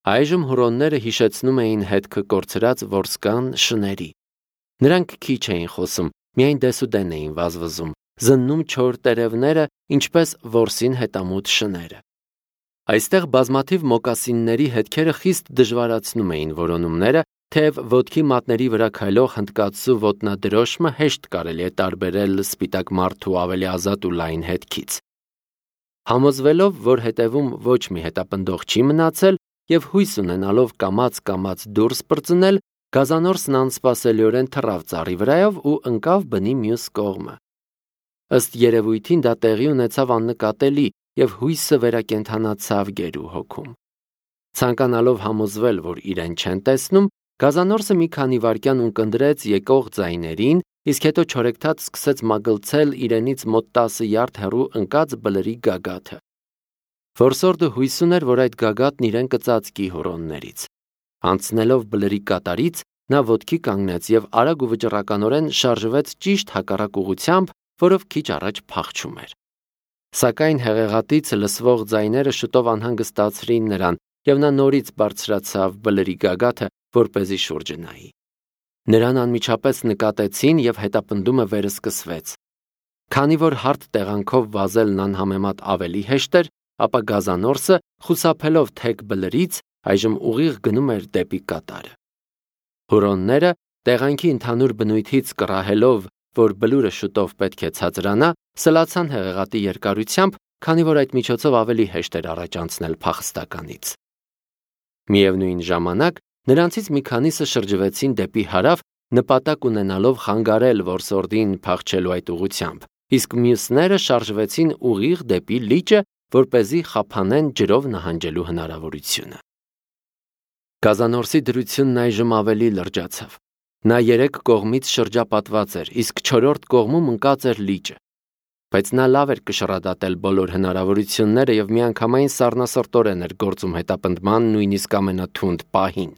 Այժմ հուրոնները հիշեցնում էին հետքը կորցրած որսկան շների։ Նրանք քիչ էին խոսում, միայն դեսուդեն էին վազվզում, զննում չոր տերևները, ինչպես որսին հետամուտ շները։ Այստեղ բազմաթիվ մոկասինների հետքերը խիստ դժվարացնում էին որոնումները, թեև ոտքի մատների վրա քայլող հնդկացու ոտնադրոշմը հեշտ կարելի է տարբերել սպիտակ մարդու ավելի ազատ ու լայն հետքից։ Համոզվելով, որ հետևում ոչ մի հետապնդող չի մնացել և հույս ունենալով կամաց դուրս պրծնել, գազանորսն անսպասելիորեն թռավ ծառի վրայով ու ընկավ բնի մյուս կողմը։ Ըստ երևույթին դա տեղի ունեցավ աննկատելի և հույսը վերակենդանացավ գերու հոգում։ Ցանկանալով համոզվել, որ իրեն չեն տեսնում, գազանորսը մի քանի վայրկյան ունկնդրեց եկող ձայներին, իսկ հետո չորեքթաթ սկսեց մագլցել իրենից մոտ 10 յարդ հեռու ընկած բլրի գագաթը։ Որսորդը հույս ուներ, որ այդ գագաթն իրեն կծածկի հուրոններից։ Անցնելով բլրի կատարից, նա ոտքի կանգնեց և արագ ու վճռականորեն շարժվեց ճիշտ հակառակ ուղղությամբ, որով քիչ առաջ փախչում էր։ Սակայն հեղեղատից լսվող ձայները շուտով անհանգստացրին նրան, և նա նորից բարձրացավ բլրի գագաթը, որպեսզի շուրջը նայի։ Նրան անմիջապես նկատեցին և հետապնդումը վերսկսվեց։ Քանի որ հարթ տեղանքով վազելն անհամեմատ ավելի հեշտ էր, ապա գազանորսը, խուսափելով թեք բլրից, այժմ ուղիղ գնում էր դեպի կատարը։ Հուրոնները, տեղանքի ընդհանուր բնույթից կռահելով, որ բլուրը շուտով պետք է ցածրանա, սլացան հեղեղատի երկարությամբ, քանի որ այդ միջոցով ավելի հեշտ էր առաջ անցնել փախստականից։ Միևնույն ժամանակ նրանցից մի քանիսը շրջվեցին դեպի հարավ, նպատակ ունենալով խանգարել որսորդին փախչելու այդ ուղղությամբ, իսկ մյուսները շարժվեցին ուղիղ դեպի լիճը, որպեսզի խափանեն ջրով նահանջելու հնարավորությունը։ Գազանորսի դրությունն այժմ ավելի լրջացավ։ Նա 3 կողմից շրջապատված էր, իսկ 4-րդ կողմում ընկած էր լիճը։ Բայց նա լավ էր կշռադատել բոլոր հնարավորությունները և միանգամայն սառնասրտորեն էր գործում հետապնդման նույնիսկ ամենաթունդ պահին։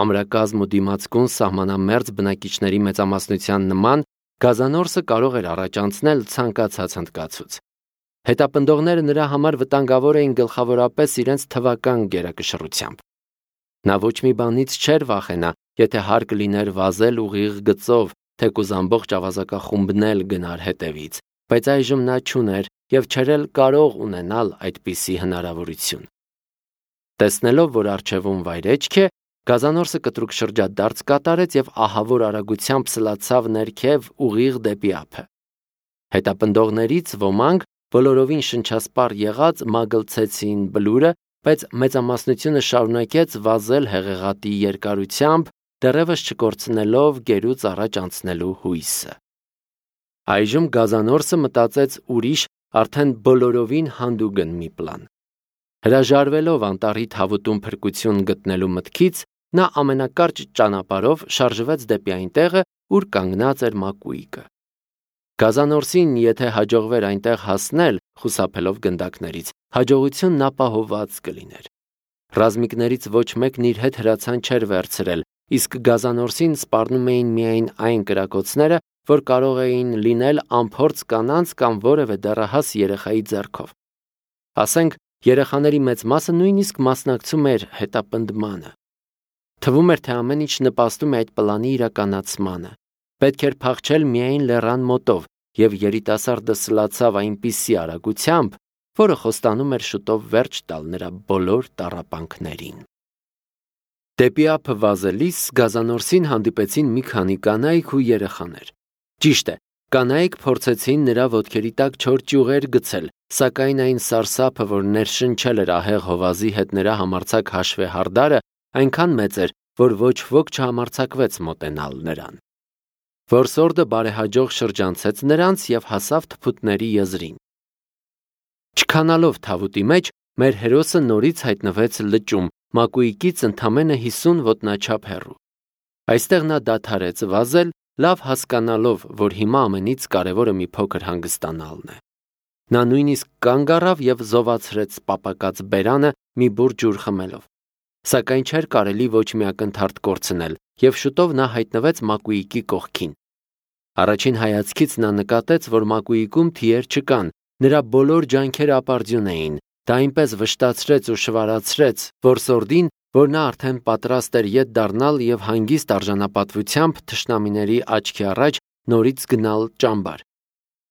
Ամրակազմ ու դիմացկուն սահմանամերձ բնակիչների մեծամասնության նման, գազանորսը կարող էր առաջ անցնել ցանկացած հնդկացուց։ Հետապնդողները նրա համար վտանգավոր էին գլխավորապես իրենց թվական գերակշռությամբ։ Նա ոչ մի բանից չէր վախենա, եթե հարկ լիներ վազել ուղիղ գծով, թեկուզ ամբողջ ավազակախումբն էլ գնար հետևից, բայց այժմ նա չուներ և չէր էլ կարող ունենալ այդպիսի հնարավորություն։ Տեսնելով, որ առջևում վայրէջք է, գազանորսը կտրուկ շրջադարձ կատարեց և ահավոր արագությամբ սլացավ ներքև ուղիղ դեպի ափը։ Հետապնդողներից ոմանք, բոլորովին շնչասպառ եղած, մագլցեցին բլուրը, բայց մեծամասնությունը շարունակեց վազել հեղեղատի երկարությամբ, դեռևս չկորցնելով գերուց առաջ անցնելու հույսը։ Այժմ գազանորսը մտածեց ուրիշ, արդեն բոլորովին հանդուգն մի պլան։ Հրաժարվելով անտառի թավուտում փրկություն գտնելու մտքից, նա ամենակարճ ճանապարհով շարժվեց դեպի այն տեղը, ուր կանգնած էր մակույկը։ Գազանորսին, եթե հաջողվեր այնտեղ հասնել, խուսափելով գնդակներից, հաջողությունն ապահովված կլիներ։ Ռազմիկներից ոչ մեկն իր հետ հրացան չէր վերցրել, իսկ գազանորսին սպառնում էին միայն այն կրակոցները, որ կարող էին լինել անփորձ կանանց կամ որևէ դեռահաս երեխայի ձեռքով։ Ասենք, երեխաների մեծ մասը նույնիսկ մասնակցում էր հետապնդմանը։ Թվում էր, թե ամեն ինչ նպաստում է այդ պլանի իրականացմանը։ Պետք էր փախչել միայն լեռան մոտով, և երիտասարդը սլացավ այնպիսի արագությամբ, որը խոստանում էր շուտով վերջ տալ նրա բոլոր տառապանքներին։ Դեպի ափը վազելիս գազանորսին հանդիպեցին մի քանի կանայք ու երեխաներ։ Ճիշտ է, կանայք փորձեցին նրա ոտքերի տակ չոր ճյուղեր գցել, սակայն այն սարսափը, որ ներշնչել էր ահեղ հովազի հետ նրա համարձակ հաշվեհարդարը, այնքան մեծ էր, որ ոչ ոք չհամարձակվեց մոտենալ նրան։ Որսորդը բարեհաջող շրջանցեց նրանց և հասավ թփուտների եզրին։ Չքանալով թավուտի մեջ, մեր հերոսը նորից հայտնվեց լճում, մակույկից ընդամենը 50 ոտնաչափ հեռու։ Այստեղ նա դադարեց վազել, լավ հասկանալով, որ հիմա ամենից կարևորը մի փոքր հանգստանալն է։ Նա նույնիսկ կանգ առավ և զովացրեց պապակած բերանը մի բուռ ջուր խմելով։ Սակայն չէր կարելի ոչ մի ակնթարթ կորցնել, և շուտով նա հայտնվեց մակույկի կողքին։ Առաջին հայացքից նա նկատեց, որ մակույկում թիեր չկան, նրա բոլոր ջանքերը ապարդյուն էին, Դա այնպես վշտացրեց ու շվարացրեց որսորդին, որ նա արդեն պատրաստ էր ետ դառնալ և հանգիստ արժանապատվությամբ թշնամիների աչքի առաջ նորից գնալ ճամբար։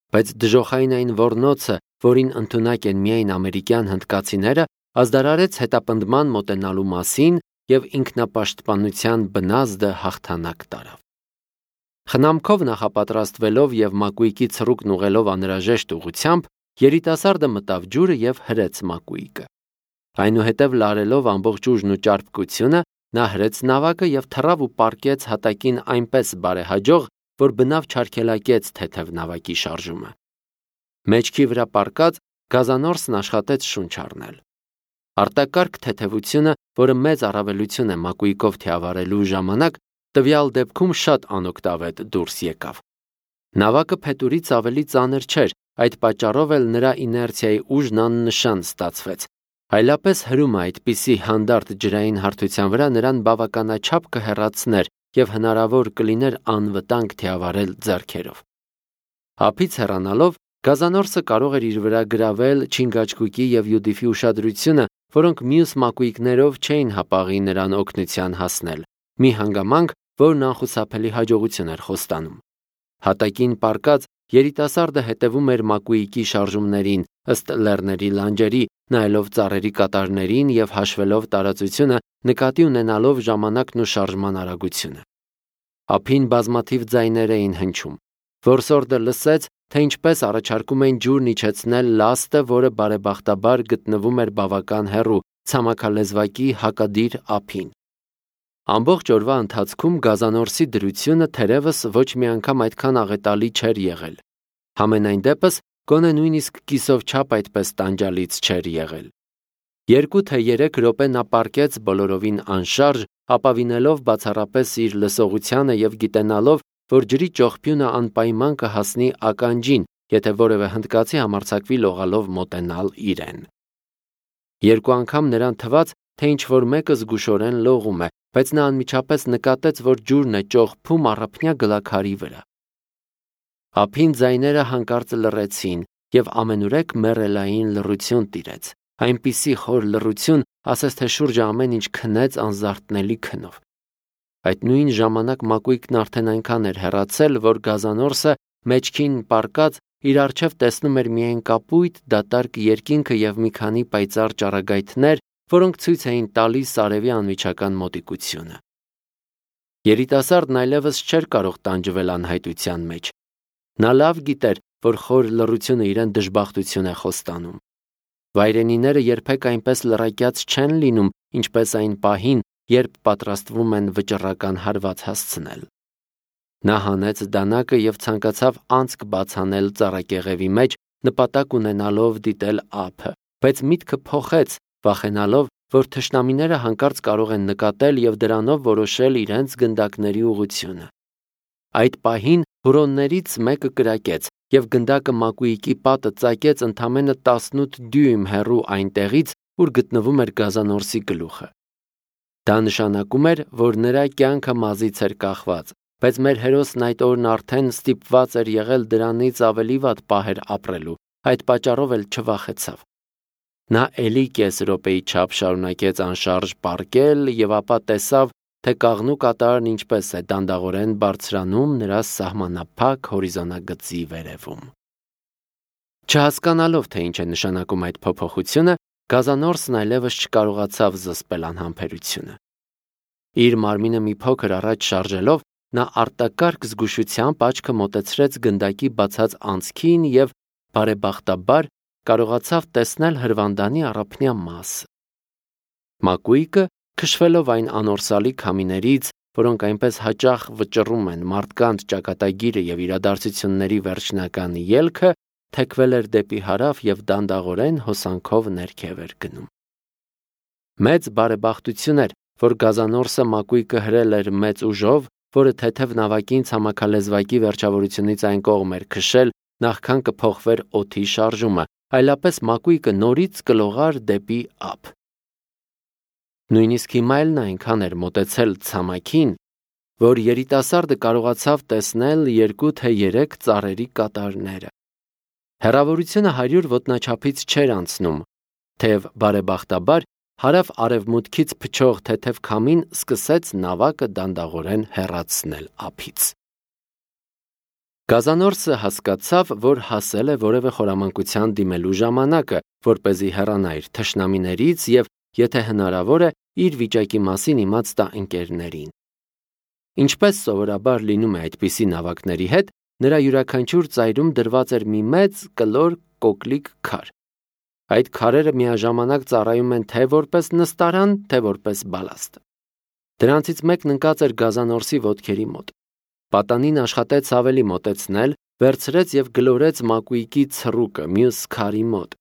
Բայց դժոխային այն ոռնոցը, որին ընդունակ են միայն ամերիկյան հնդկացիները, ազդարարեց հետապնդման մոտենալու մասին և ինքնապաշտպանության բնազդը հաղթանակ տարավ։ Խնամքով նախապատրաստվելով և մակույկի ցռուկն ուղղելով անհրաժեշտ ուղղությամբ, երիտասարդը մտավ ջուրը և հրեց մակույկը։ Այնուհետև լարելով ամբողջ ուժն ու ճարպկությունը, նա հրեց նավակը և թռավ ու պառկեց հատակին այնպես բարեհաջող, որ բնավ չարգելակեց թեթև նավակի շարժումը։ Մեջքի վրա պառկած, գազանորսն աշխատեց շունչ առնել։ Արտակարգ թեթևությունը, որը մեծ առավելություն է մակույկով թիավարելու ժամանակ, տվյալ դեպքում շատ անօգտավետ դուրս եկավ։ Նավակը փետուրից ավելի ծանր չէր, այդ պատճառով էլ նրա իներցիայի ուժն աննշան ստացվեց։ Այլապես հրումը այդպիսի հանդարտ ջրային հարթության վրա նրան բավականաչափ կհեռացներ և հնարավոր կլիներ անվտանգ թիավարել ձեռքերով։ Ափից հեռանալով, գազանորսը կարող էր իր վրա գրավել չինգաչգուկի և յուդիֆի ուշադրությունը, որոնք մյուս մակույկներով չէին հապաղի նրան օգնության հասնել, մի հանգամանք, որն անխուսափելի հաջողություն էր խոստանում։ Հատակին պառկած, երիտասարդը հետևում էր մակույկի շարժումներին, ըստ լեռների լանջերի, նայելով ծառերի կատարներին և հաշվելով տարածությունը, նկատի ունենալով ժամանակն ու շարժման արագությունը։ Ափին բազմաթիվ ձայներ էին հնչում։ Որսորդը լսեց, թե ինչպես առաջարկում են ջուրն իջեցնել լաստը, որը բարեբախտաբար գտնվում էր բավական հեռու, ցամաքալեզվակի հակադիր ափին։ Ամբողջ օրվա ընթացքում գազանորսի դրությունը թերևս ոչ մի անգամ այդքան աղետալի չէր եղել։ Համենայն դեպս, գոնե նույնիսկ կիսով չափ այդպես տանջալից չէր եղել։ 2 թե 3 րոպե նա պառկեց բոլորովին անշարժ, ապավինելով բացառապես իր լսողությանը և գիտենալով, որ ջրի ճողփյունը անպայման կհասնի ականջին, եթե որևէ հնդկացի համարձակվի լողալով մոտենալ իրեն։ 2 անգամ նրան թվաց, թե ինչ-որ մեկը զգուշորեն լողում է, բայց նա անմիջապես նկատեց, որ ջուրն է ճողփում առափնյա գլաքարի վրա։ Ափին ձայները հանկարծ լռեցին, և ամենուրեք մեռելային լռություն տիրեց, այնպիսի խոր լռություն, ասես թե շուրջը ամեն ինչ քնեց անզարթնելի քնով։ Այդ նույն ժամանակ մակույկն արդեն այնքան էր հեռացել, որ գազանորսը մեջքին պառկած իր առջև տեսնում էր միայն կապույտ դատարկ երկինքը և մի քանի պայծառ ճառագայթներ, որոնք ցույց էին տալիս արևի անմիջական մոտիկությունը։ Երիտասարդն այլևս չէր կարող տանջվել անհայտության մեջ։ Նա լավ գիտեր, որ խոր լռությունը իրեն դժբախտություն է խոստանում։ Վայրենիները երբեք այնպես լռակյաց չեն լինում, ինչպես այն պահին, երբ պատրաստվում են վճռական հարված հասցնել։ Նա հանեց դանակը և ցանկացավ անցք բաց անել ծառակեղևի մեջ, նպատակ ունենալով դիտել ափը, բայց միտքը փոխեց, վախենալով, որ թշնամիները հանկարծ կարող են նկատել և դրանով որոշել իրենց գնդակների ուղղությունը։ Այդ պահին հուրոններից մեկը կրակեց, և գնդակը մակույկի պատը ծակեց ընդամենը 18 դյույմ հեռու այնտեղից, ուր գտնվում էր գազանորսի գլուխը։ Դա նշանակում էր, որ նրա կյանքը մազից էր կախված, բայց մեր հերոսն այդ օրն արդեն ստիպված էր եղել դրանից ավելի վատ պահեր ապրելու, այդ պատճառով էլ չվախեցավ։ Նա էլի կես րոպեի չափ շարունակեց անշարժ պառկել և ապա տեսավ, թե կաղնու կատարն ինչպես է դանդաղորեն բարձրանում նրա սահմանափակ հորիզոնագծի վերևում։ Չհասկանալով, թե ինչ է նշանակում այդ փոփոխությունը, գազանորսն այլևս չկարողացավ զսպել անհամբերությունը։ Իր մարմինը մի փոքր առաջ շարժելով, նա արտակարգ զգուշությամբ աչքը մոտեցրեց գնդակի բացած անցքին և, բարեբախտաբար, կարողացավ տեսնել հրվանդանի առափնյա մասը։ Մակույկը, քշվելով այն անորսալի քամիներից, որոնք այնպես հաճախ վճռում են մարդկանց ճակատագիրը և իրադարձությունների վերջնական ելքը, թեքվել էր դեպի հարավ և դանդաղորեն հոսանքով ներքև էր գնում։ Մեծ բարեբախտություն էր, որ գազանորսը մակույկը հրել էր մեծ ուժով, որը թեթև նավակին ցամաքալեզվակի վերջավորությունից այն կողմ էր քշել, նախքան կփոխվեր օդի շարժումը, այլապես մակույկը նորից կլողար դեպի ափ։ Նույնիսկ հիմա էլ նա այնքան էր մոտեցել ցամաքին, որ երիտասարդը կարողացավ տեսնել 2 թե 3 ծառերի կատարները։ Հեռավորությունը 100 ոտնաչափից չէր անցնում, թեև բարեբախտաբար հարավ-արևմուտքից փչող թեթև քամին սկսեց նավակը դանդաղորեն հեռացնել ափից։ Գազանորսը հասկացավ, որ հասել է որևէ խորամանկության դիմելու ժամանակը, որպեսզի հեռանա իր թշնամիներից և, եթե հնարավոր է, իր վիճակի մասին իմաց տա ընկերներին։ Ինչպես սովորաբար լինում է այդպիսի նավակների հետ, նրա յուրաքանչյուր ծայրում դրված էր մի մեծ կլոր կոկլիկ քար։ Այդ քարերը միաժամանակ ծառայում են թե որպես նստարան, թե որպես բալաստ։ Դրանցից մեկն ընկած էր Գազանորսի ոտքերի մոտ։ Պատանին աշխատեց ավելի մոտեցնել, վերցրեց և գլորեց մակույկի ցռուկը մյուս քարի մոտ։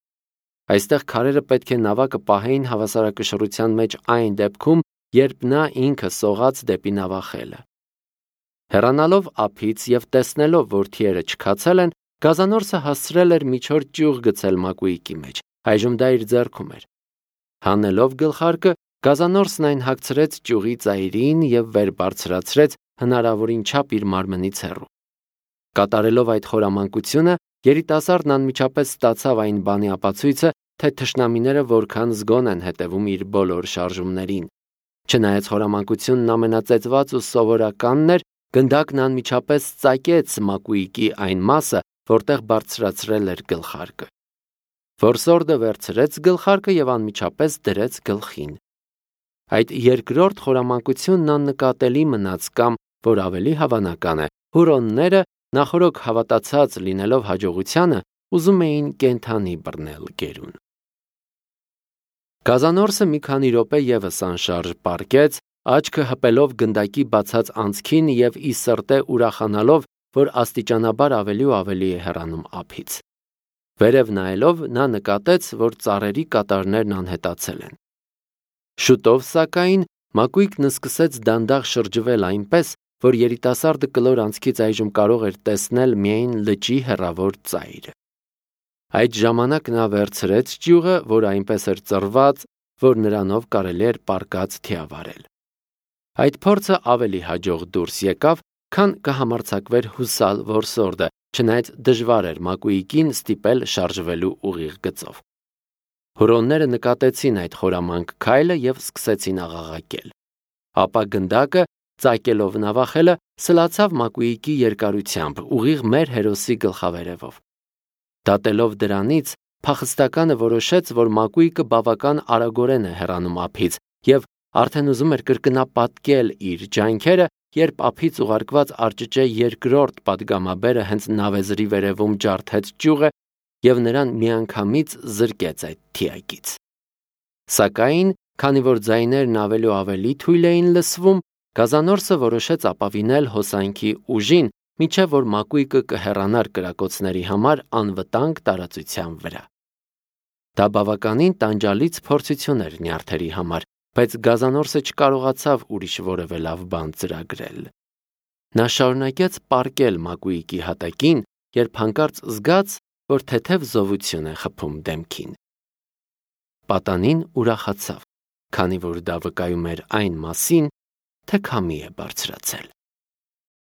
Այստեղ քարերը պետք է նավակը պահեին հավասարակշռության մեջ այն դեպքում, երբ նա ինքը սողաց դեպի նավախելը։ Հեռանալով ափից և տեսնելով, որ թիերը չքացել են, Գազանորսը հասցրել էր միջոր ճյուղ գցել մակույկի մեջ, այժմ դա իր ձեռքում էր։ Հանելով գլխարկը, Գազանորսն այն հագցրեց ճյուղի ծայրին և վեր բարձրացրեց հնարավորին չափ իր մարմնից հեռու։ Կատարելով այդ խորամանկությունը, երիտասարդն անմիջապես ստացավ այն բանի ապացույցը, թե թշնամիները որքան զգոն են հետևում իր բոլոր շարժումներին։ Չնայած խորամանկությունն ամենածեծված ու սովորականն էր, գնդակն անմիջապես ծակեց մակույկի այն մասը, որտեղ բարձրացրել էր գլխարկը։ Որսորդը վերցրեց գլխարկը և անմիջապես դրեց գլխին։ Այդ երկրորդ խորամանկությունն աննկատելի մնաց կամ, որ ավելի հավանական է, հուրոնները, նախօրոք հավատացած լինելով հաջողությանը, ուզում էին կենդանի բռնել գերուն։ Գազանորսը մի քանի րոպե ևս անշարժ պառկեց, աչքը հպելով գնդակի բացած անցքին և ի սրտե ուրախանալով, որ աստիճանաբար ավելի ու ավելի է հեռանում ափից։ Վերև նայելով, նա նկատեց, որ ծառերի կատարներն անհետացել են։ Շուտով, սակայն, մակույկն սկսեց դանդաղ շրջվել այնպես, որ երիտասարդը կլոր անցքից այժմ կարող էր տեսնել միայն լճի հեռավոր ծայրը։ Այդ ժամանակ նա վերցրեց ճյուղը, որը այնպես էր ծռված, որ նրանով կարելի էր պառկած թիավարել։ Այդ փորձը ավելի հաջող դուրս եկավ, քան կհամարձակվեր հուսալ որսորդը, չնայած դժվար էր մակույկին ստիպել շարժվելու ուղիղ գծով։ Հուրոնները նկատեցին այդ խորամանկ քայլը և սկսեցին աղաղակել։ Ապա գնդակը, ծակելով նավախելը, սլացավ մակույկի երկարությամբ, ուղիղ մեր հերոսի գլխավերևով։ Դատելով դրանից, փախստականը որոշեց, որ մակույկը բավական արագորեն է հեռանում ափից և արդեն ուզում էր կրկնապատկել իր ջանքերը, երբ ափից ուղարկված արճճե երկրորդ պատգամաբերը հենց նավեզրի վերևում ջարդեց ճյուղը և նրան միանգամից զրկեց այդ թիակից։ Սակայն, քանի որ ձայներն ավելի ու ավելի թույլ էին լսվում, Գազանորսը որոշեց ապավինել հոսանքի ուժին, մինչև որ մակույկը կհեռանար կրակոցների համար անվտանգ տարածության վրա։ Դա բավականին տանջալից փորձություն էր նյարդերի համար, բայց Գազանորսը չկարողացավ ուրիշ որևէ լավ բան ծրագրել։ Նա շարունակեց պառկել մակույկի հատակին, երբ հանկարծ զգաց, որ թեթև զովություն է խփում դեմքին։ Պատանին ուրախացավ, քանի որ դա վկայում էր այն մասին, թե քամի է բարձրացել։